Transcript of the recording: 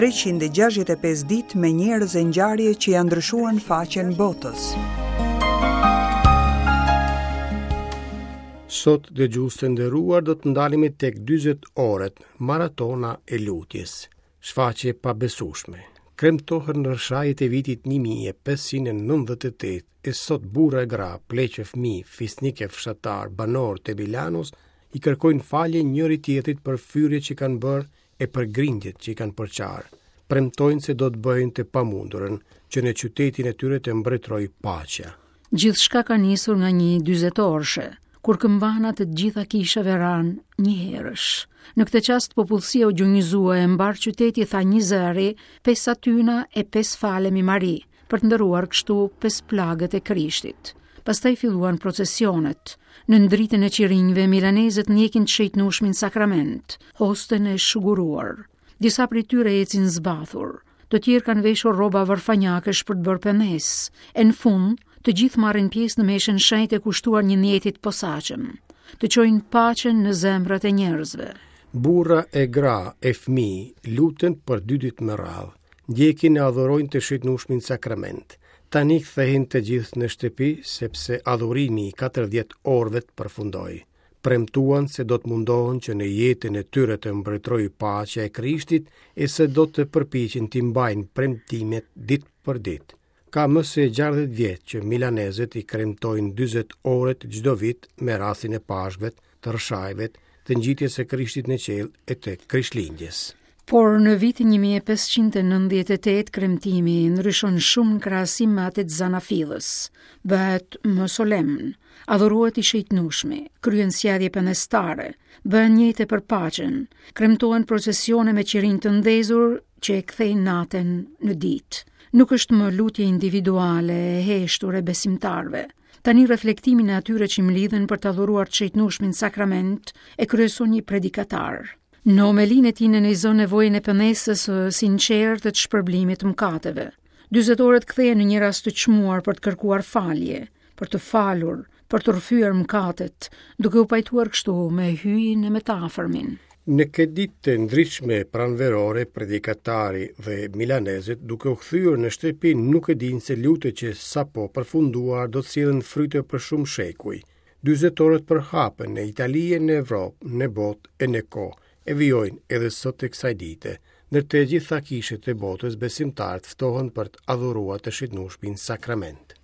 365 ditë me njerëz e ngjarje që ia ndryshuan faqen botës. Sot dëgjues të nderuar do të ndalemi tek 40 orët, maratona e lutjes. Shfaqje e pabesueshme. Kremtohen në Rrëshajet e vitit 1598 e sot burra e gra, pleq e fëmijë, fisnikë e fshatarë, banorë të Milanos i kërkojnë falje njëri-tjetrit për fyerjet që kanë bërë e për grindjet që i kanë përçarë. Premtojnë se do të bëjnë të pamundurën, që në qytetin e tyre të mbretërojë paqja. Gjithçka ka nisur nga një dyzetorëshe, kur këmbanat e të gjitha kishave ranë njëherësh. Në këtë çast popullsia u gjunjëzua e mbarë qyteti tha njëzëri, pes atyna e pes falemi Mari, për të nderuar kështu pesë plagët e Krishtit. Pastaj filluan procesionet. Nën dritën e qirinjve, milanezët ndjekin të shejtnushmin sakrament, hosten e shuguruar. Disa prej tyre ecin zbathur. Të tjerë kanë veshur rroba varfanjakësh për të bërë pendesë. E në fund, të gjithë marrin pjesë në meshën e shenjtë kushtuar një nijeti të posaçëm, të çojnë paqen në zemrat e njerëzve. Burra e gra e fëmijë luten për dy ditë me radhë. Ndjekin e adhurojnë të shejtnushmin sakrament. Tani kthehen të gjithë në shtëpi sepse adhurimi i 40 orëve përfundoi. Premtuan se do të mundohen që në jetën e tyre të mbretërojë paqja e Krishtit e se do të përpiqen t'i mbajnë premtimet ditë për ditë. Ka më se 60 vjet që milanezët i kremtojnë 40 orët çdo vit me rastin e Pashkëve, të Rrëshajve, të ngjitjes së Krishtit në qiell e të Krishtlindjes. Por në vitin 1598 kremtimi ndryshon shumë në krahasim me atë të zanafillës. Bëhet më solemn, adhurohet i shejtnushmi, kryhen sjellje pendestare, bëhen nijete për paqen, kremtohen procesione me qirinj të ndezur që e kthejnë natën në ditë. Nuk është më lutje individuale e heshtur e besimtarëve. Tani reflektimin e atyre që mblidhen për të adhuruar të shejtnushmin sakrament e kryeson një predikatar. Në homelinë e tij nënvizon nevojën e pendesës së sinqertë të shpërblimit të mëkateve. 40 orët kthehen në një rast të çmuar për të kërkuar falje, për të falur, për të rrëfyer mëkatet, duke u pajtuar kështu me Hyjin e me të afërmin. Në këtë ditë të ndritshme pranverore, predikatari dhe milanezët duke u kthyer në shtëpi nuk e dinë se lutjet që sapo përfunduar do të sjellin fryte për shumë shekuj. Dyzetorët përhapen në Itali e në Evropë, në botë e në kohë, e vijojnë edhe sot e kësaj dite. Në të gjitha kishat e botës besimtarët ftohen për të adhuruar të shejtnushmin sakrament.